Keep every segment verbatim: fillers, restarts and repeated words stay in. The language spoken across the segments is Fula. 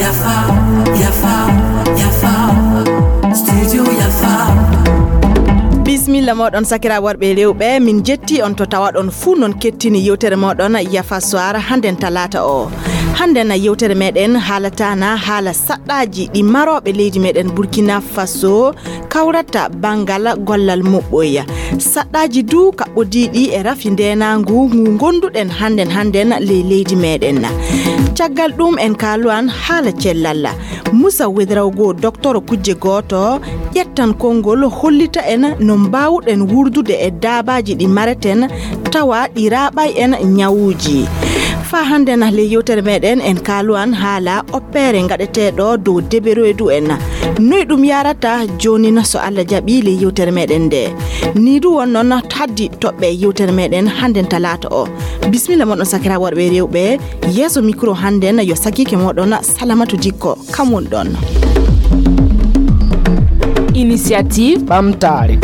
Yafa, yafa, yafa. Studio yafa. Bismilla moɗon sakira worɓe e rewɓe, min jetti on to tawaɗon fuu non kettini yewtere moɗon Yafa Soir hannden talaata o. Hannden yewtere meɗen haalataana haala saɗɗaaji ɗi marooɓe leydi meɗen Burkina Faso kawrata banngal gollal muɓɓoya. Saɗɗaaji du kaɓɓodiiɗi e rafi ndeenaangu ngu ngonduɗen hannden hannden ley leydi meɗen. Caggal ɗum en kaaluwan haala cellal. Musa Wedrawgo, doktoro kujje gooto, ƴettan konngol hollita en no mbaawuɗen wurdude e daabaaji ɗi mareten tawa ɗi raaɓay en ñawuuji. Faa hannden ley yewtere meɗen en kaaluwan haala oppeere ngaɗeteeɗo dow deberoydu en. Noy ɗum yaarata joonin so Allah jaɓi ley yewtere meɗen nde? Ni du won non haddi toɓɓe yewtere meɗen hannden talaata o. Bismilla moɗon sakira worɓe e rewɓe. Yeeso micro hannden yo sakiike moɗon Salamatu Dikko. Kam won ɗon. Initiative ɓamtaare.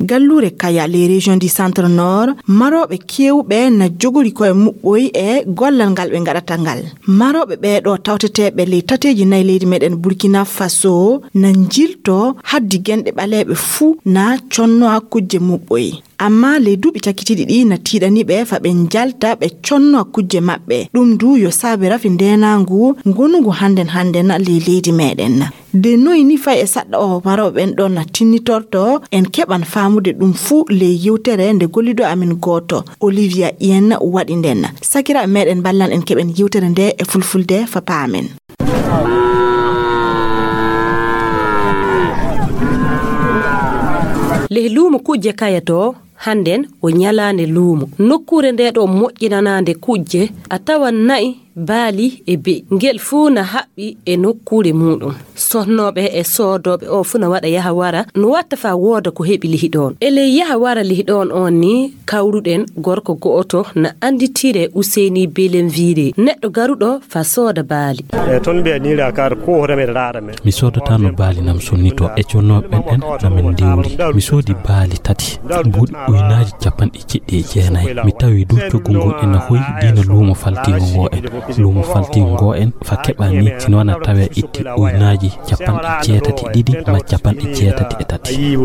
Galluure Kaya, les régions du centre nord, marooɓe keewɓe na jogori koye muɓɓoy e gollal ngal ɓe ngaɗata ngal. Marooɓe ɓeeɗo tawteteeɓe ley tateeji nayi leydi meɗen Burkina Faso na njilto haddi genɗe ɓaleeɓe fuu na conno kujje muɓɓoy. Amma ley duuɓi cakkitiiɗi ɗi na tiiɗani ɓe fa ɓe njalta ɓe conno kujje maɓɓe. Ɗum du yo saabe rafi ndeenaangu ngonungu hannden hannden ley leydi meɗen. De noy ni fay e saɗɗa o marooɓe ɓen ɗon na tinnitorto, en keɓan faamude ɗum fuu ley yewtere nde gollido amin gooto, Olivia Yen waɗi nden. Sakiraaɓe meɗen mballan en keɓen yewtere nde e fulfulde fa paamen. Leh luumo kujje Kaya to, hannden o ñalaande luumo. Nokkuure nde ɗo moƴƴinanaande kujje, a tawan na'i, baali e be'i. Ngel fuu na haɓɓi e nokkuure muuɗum. Sohnooɓe e soodooɓe o fuu na waɗa yaha wara, no watta faa wooda ko heɓi lihi ɗoon. E ley yaha wara lihi ɗoon on ni, kawruɗen gorko go'oto na annditire Useyni Belenvire, neɗɗo garuɗo faa sooda baali. E toon mbiya ni la kar ko hoto men raara men. Mi soodataano baali nam sonnito e connooɓe ɓen ɗen na min ndiwri. Mi soodi baali tati, mbuuɗi ujunaaji capanɗe jeɗɗi e jeenayi. Mi tawi du coggu ngun ena hoyi diina luumo faltiingo ngo en. Luumo faltiingo ngo en fa keɓa ni, sino wana tawe itti ujunaaji capanɗe jeetati e ɗiɗi ma capanɗe jeetati e tati.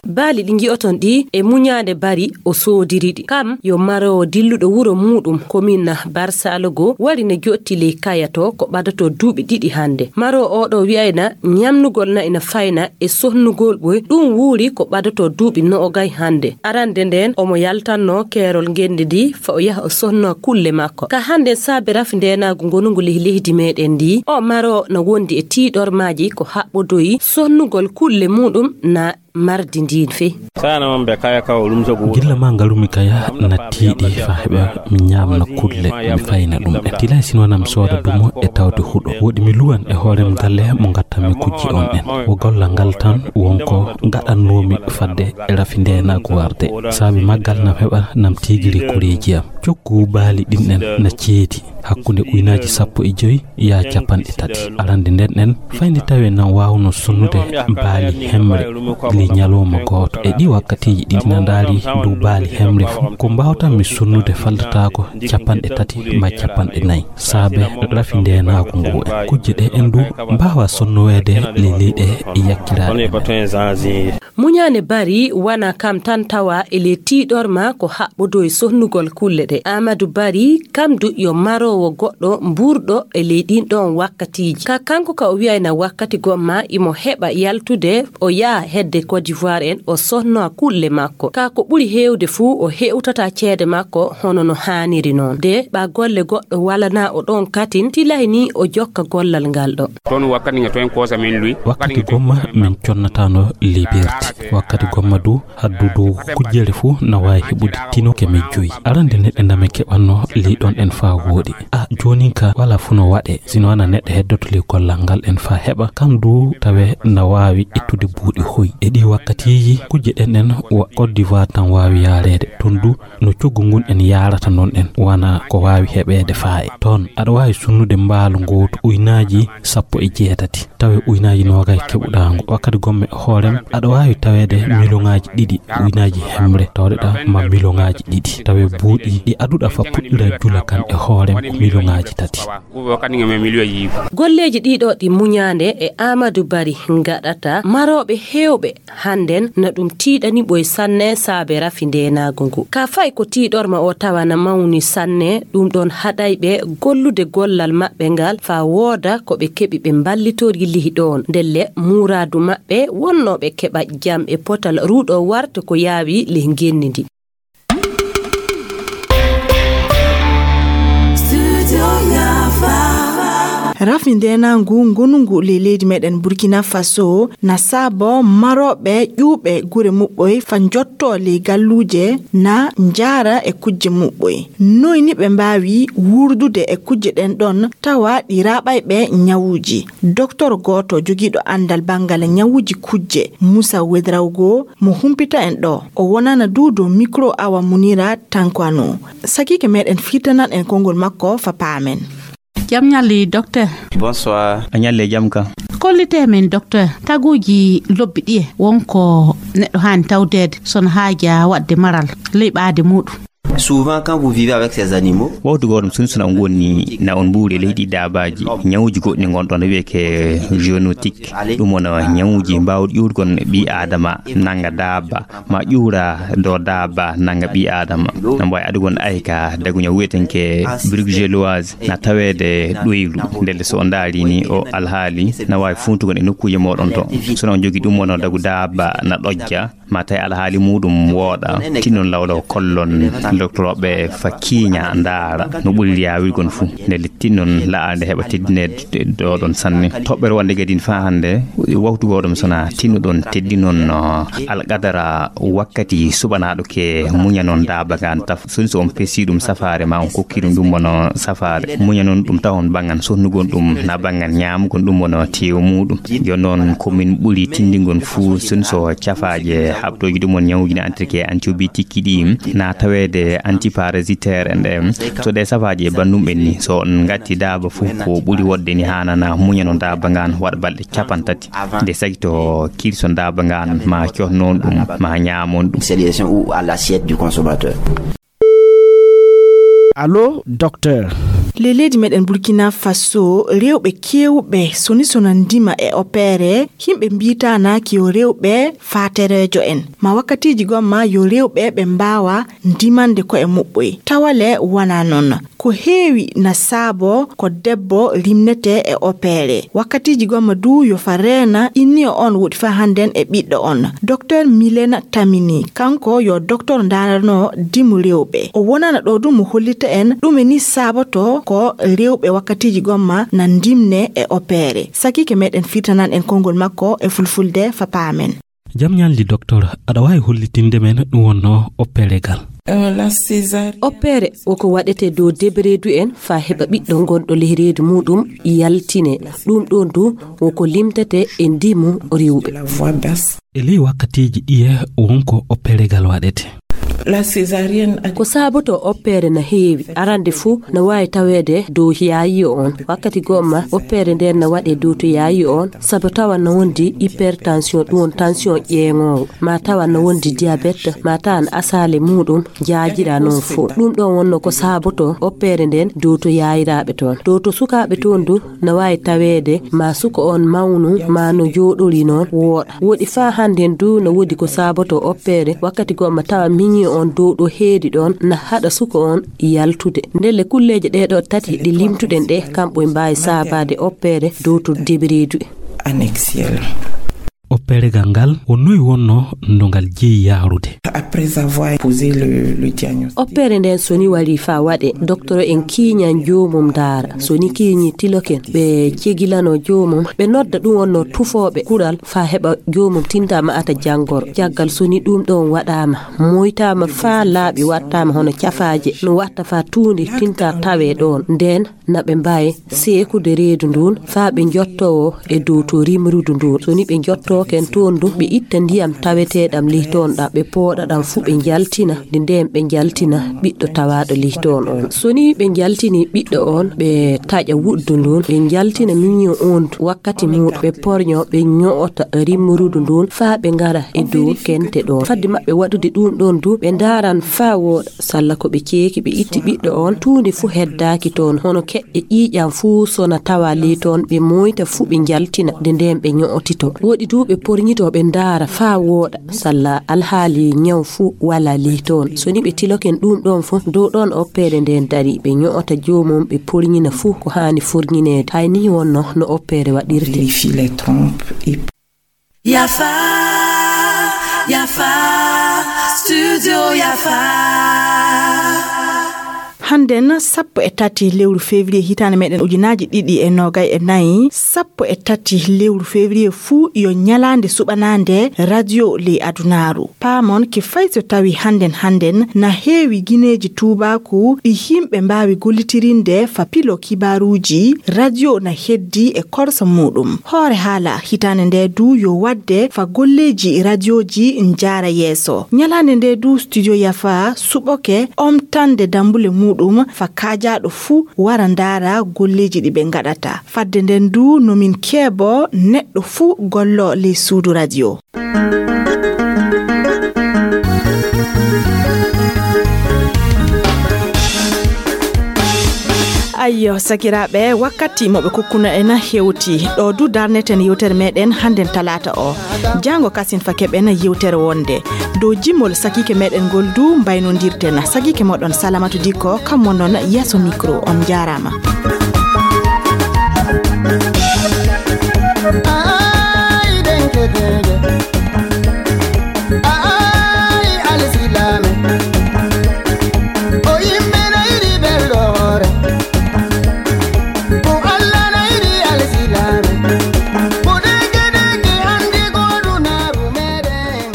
Baali ɗi ngi'oton ɗi e muñaande bari o soodiri ɗi. Kam yo maroowo dilluɗo wuro muuɗum, komin Barsalogo, wari ne jotti ley Kaya to ko ɓadato duuɓi ɗiɗi hannde. Maroowo oo ɗoo wi'ayna ñamnugol na ina fayna e sohnugol ɓoy, ɗum wuuri ko ɓadato duuɓi noogay hannde. Arande nden omo yaltanno keerol ngenndi ndi fa o yaha o sohno kulle makko. Ka hannden saabe rafi ndeenaagu ngonungu ley leydi meɗen ndi, o maroowo na wondi e tiiɗormaaji ko haɓɓodoyi sohnugol kulle muuɗum na mardi ndin fey. Gilla ma ngarumi Kaya na tiiɗi fa heɓa mi ñaamna kulle, mi fayna ɗum ɗen. Tilay sino na mi sooda dumo e tawde huɗo. Woɗi mi luwan e hoorem galle mo ngattanmi kujje on ɗen. Wo gollal ngal tan wonko ngaɗannoomi fadde e rafi ndeenaagu warde. Saabi maggal na mi heɓa na mi tiigiri koreeji am. Coggu baali ɗin ɗen na ceedi hakkunde ujunaaji sappo e jowi yaa capanɗe tati. Arande nden ɗen, fay nde tawi en nan waawno sonnude baali hemre ley ñalawma gooto. E ɗi wakkatiiji ɗi na ndaari dow baali hemre fof, ko mbaawtanmi sonnude faldataako capanɗe tati ma capanɗe nayi. Saabe rafi ndeenaagu ngu en. Kujje ɗe en du mbaawa sonnoweede ley leyɗe yakkiraaɗe. Muñaane bari wana kam tan tawa e ley tiiɗorma ko haɓɓodo e sohnugol kulle ɗe. Aamadu Bari kam du yo maroowo goɗɗo mbuurɗo e ley ɗin ɗoon wakkatiiji. Ka kanko ka o wi'ayna wakkati gomma imo heɓa yaltude o yaha hedde Côte d'Ivoire en o sohnoa kulle makko. Ka ko ɓuri heewde fuu o heewtata ceede makko hono no haaniri noon. De ɓa golle goɗɗo walanaa o ɗoon katin, tilay ni o jokka gollal ngal ɗo. Toon wakkati nga toon koosa min luy. Wakkati gomma min connataano liberti. Wakkati gomma du haddu dow kujjere fuu na waawi heɓude tino keme joyi. Arande neɗɗe nda min keɓanno ley ɗon en faa wooɗi. A, joonin ka wala fu no waɗe, sino ana neɗɗo heddoto ley gollal ngal en fa heɓa, kam du tawe na waawi ittude buuɗi hoy. E ɗi wakkatiiji, kujje ɗen ɗen wa Côte d'Ivoire tan waawi yaareede. Ton du no coggu ngun en yaarata non ɗen, wana ko waawi heɓeede faaye. Ton, aɗa waawi sunnude mbaalu ngootu uynaaji sappo e jeetati, tawe uynaaji noogay keɓuɗaa ngu. Wakkati gomme e hoorem, aɗa waawi taweede miliyoŋaaji ɗiɗi uynaaji hemre, tawde ɗa ma miliyoŋaaji ɗiɗi. Tawe buuɗi ɗi aduɗa fa puɗɗira jula kan e hoorem ko miliyoŋaaji tati. Golleeji ɗiɗo ɗi muñaande e Amadou Bari ngaɗata marooɓe heewɓe hannden na ɗum tiiɗani ɓoy sanne saabe rafi ndeenaagu ngu. Ka fay ko tiiɗorma o tawa na mawni sanne, ɗum ɗon haɗay ɓe gollude gollal maɓɓe ngal faa wooda ko ɓe keɓi ɓe mballitori lihi ɗoon. Ndelle muuraadu maɓɓe wonnoo ɓe keɓa jam e potal ruuɗo warta ko yaawi leh ngenndi ndi. Rafi ndeenaangu ngonungu ley leydi meɗen Burkina Faso na saabo marooɓe ƴuuɓe gure muɓɓoy fa njottoo ley galluuje na njaara e kujje muɓɓoy. Noy ni ɓe mbaawi wuurdude e kujje ɗen ɗon tawa ɗi raaɓay ɓe ñawuuji? Doktor gooto jogiiɗo anndal banngal ñawuuji kujje, Musa Wedrawgo, mo humpita en ɗo. O wonana du dow mikro Awa Munira Tankwano. Sakiike meɗen firtanan en konngol makko fa paamen. Jam ñalli, docteur. Bonsoir. A ñalli e jam ka. Kollite men, docteur, taguuji lobbi ɗiye wonko neɗɗo haani tawdeede so no haaja waɗde maral ley ɓaade muuɗum? Souvent, quand vous vivez avec ces animaux, wawtu gooto ɗum sunsuna on woni na on mbuuri e leydi daabaaji, ñawuuji goɗɗi ngonɗon wiyeke zoonotique. Ɗum wona ñawuuji mbaawɗi ƴuurgon ɓii aadama nanga daaba, ma ƴuura dow daaba nanga ɓii aadama. Na mbaawi adugol ayka daguña wiyetenke bruxelloise na taweede ɗoylu. Ndelle so on ndaari ni o alhaali na waawi funtugol e nokkuuje mooɗon to. So on jogi ɗum wona dagu daaba na ɗojja, ma tawi alhaali muuɗum wooɗa, tinnon lawlaw kollon doktorooɓe fa kiiña ndaara no ɓuri yaawirgon fuu. Ndelle tinnon la'aa nde heɓa teddineede ɗo ɗon sanne. Toɓɓere wonde kadi faa hannde, wawtu goo ɗum sona tinnuɗon teddinon, no, alqadara wakkati suɓanaaɗo ke muñanon daaba ngaan taf. Soni so on pesi ɗum safaare ma on kokki ɗum ɗum wona safaare. Muñanon ɗum tawon banngan sonnugol ɗum na banngan ñaamugol ɗum wona teewu muuɗum. Yo noon ko min ɓuri tinndingol fuu soni so cafaaje haɓtooji ɗum won ñawuuji na entretien antibiotique ɗi na taweede antiparasitaire en ɗe. So ɗe safaaji e banndum ɓen ni, so on ngatti daaba fuu ko ɓuri woɗde ni haanana muñano daaba ngaan waɗa balɗe capanɗe tati. Nde sagi to kirson daaba ngaan ma cohnon ɗum ma ñaamon ɗum. C'est les gens ou à l'assiette du consommateur. Allo, docteur. Ley leydi meɗen Burkina Faso, rewɓe keewɓe soni sona ndima e opere, yimɓe mbiitaanaaki yo rewɓe faatereejo en. Ma wakkatiiji gomma yo rewɓe ɓe mbaawa ndimande koye muɓɓoy. Tawale wana noon. Ko heewi na saabo ko debbo limnete e opere. Wakkatiiji gomma du yo fa reena inniyo on woɗi fa hannden e ɓiɗɗo on. Docteur Milena Tamini, kanko yo docteur ndaarano dimu rewɓe. O wonana ɗo du mo hollita en ɗume ni saaboto ko rewɓe wakkatiiji gomma na ndimne e opere. Sakiike meɗen firtanan en konngol makko e fulfulde fa paamen. Jam ñalli, docteur. Aɗa waawi hollitinde men ɗum wonnoo opperegal? Oppeere woko waɗetee dow debereedu en faa heɓa ɓiɗɗo gonɗo ley reedu muuɗum yaltine. Ɗum ɗoon du woko limtetee e ndimu rewɓe. E ley wakkatiiji ɗiye wonko opperegal waɗetee? Ko saaboto oppeere na heewi. Arande fuu na waawi taweede dow yaayiyo on. Wakkati gomma oppeere ndeen na waɗee dow to yaayiyo on, sabu tawa na wondi hypertension, ɗum won tension ƴeeŋoowo, ma tawa na wondi diabète, ma tawa na asaale muuɗum jaajira noon fuu. Ɗum ɗoon wonnoo ko saaboto oppeere ndeen dow to yaayiraaɓe toon. Dow to sukaaɓe toon du na waawi taweede ma suka on mawnu ma no jooɗori noon wooɗa. Woɗi faa hannden du na woodi ko saaboto oppeere wakkati gomma tawa miñi on dow ɗo heedi ɗoon na haɗa suka on yaltude. Ndelle kulleeje ɗee ɗo tati ɗe limtuɗen ɗe kamɓe mbaawi saabaade oppeere dow to debereedu. Opperegal ngal, o noy wonno no ngal jeyi yahrude? Après avoir posé le, le diagnostic. Oppere nden soni wari fa waɗe, doktoro en kiiñan joomum ndaara. Soni kiiñi tiloken, ɓe cegilano joomum, ɓe nodda ɗum wonno tufooɓe kuɗal fa heɓa joomum tinta ma'ata janngoro. Caggal soni ɗum ɗon waɗaama, moytaama fa laaɓi wattaama hono cafaaje, no watta fa tuundi tinta tawe ɗon. Nden na ɓe mbaawi seekude reedu ndun faa ɓe njottoo e dow to rimrudu ndun. So ni ɓe njottooken toon du, ɓe itta ndiyam taweteeɗam lihtoon ɗam, ɓe pooɗa ɗam fuu ɓe njaltina, nde ndeen ɓe njaltina ɓiɗɗo tawaaɗo lihtoon on. So ni ɓe njaltini ɓiɗɗo on, ɓe taƴa wuddu ndun, ɓe njaltina miño on du wakkati muuɗum, ɓe porño, ɓe ño'ota rimrudu ndun faa ɓe ngara e dow kente ɗoon. Fadde maɓɓe waɗude ɗum ɗoon du, ɓe ndaaran faa wooɗa. Salla ko ɓe ceeki, ɓe itti ɓiɗɗo on, tuundi fuu heddaaki toon, hono keƴƴe ƴiiƴam fuu so na tawa ley toon, ɓe moyta fuu ɓe njaltina, nde ndeen ɓe ño'otito. Woɗi du ɓe porñito, ɓe ndaara faa wooɗa, salla alhaali ñaw fuu walaa ley toon. So ni ɓe tiloken ɗum ɗoon fuu, dow ɗoon oppeere ndeen darii, ɓe ño'ota joomum, ɓe porñina fuu ko haani forñineede. Hay nii wonno no oppeere waɗirtee. Vérifie les trompes et Yafa, Yafa, Studio Yafa. Hannden sappo e tati lewru février hitaande meɗen ujunaaji ɗiɗi e noogay e nayi, sappo e tati lewru février fuu yo ñalaande suɓanaande radio ley adunaaru. Paamon ke fay so tawi hannden hannden na heewi gineeji tuubaaku ɗi yimɓe mbaawi gollitirinde fa pilo kibaaruuji, radio na heddi e korsa muuɗum. Hoore haala hitaande nde du yo waɗde fa golleeji radioji njaara yeeso. Ñalaande nde du Studio Yafa suɓoke omtande dambule muuɗum fa kaajaaɗo fuu wara ndaara golleeji ɗi ɓe ngaɗata. Fadde nden du no min keebo neɗɗo fuu gollo ley suudu radio. Ayyo, sakiraaɓe, wakkati mo ɓe kokkuno en hewti. Ɗo du darneten yewtere meɗen hannden talaata o. Jaango kasin fa keɓen yewtere wonde. Dow jimol sakiike meɗen ngol du mbaynondirten. Sakiike moɗon Salamatu Dikko, kam wonnon yeeso micro. On njaaraama. Ay, denke, denke. Ay, alsilaame. O yimɓe na yiɗi belɗo hoore. Ko Alla na yiɗi alsilaame. Ko denke, denke, anndi ko dunaaru meɗen.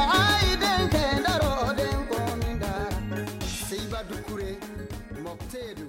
Ay, denke, ndaro, denko, min dara. Sey ba dukure, mokteedu.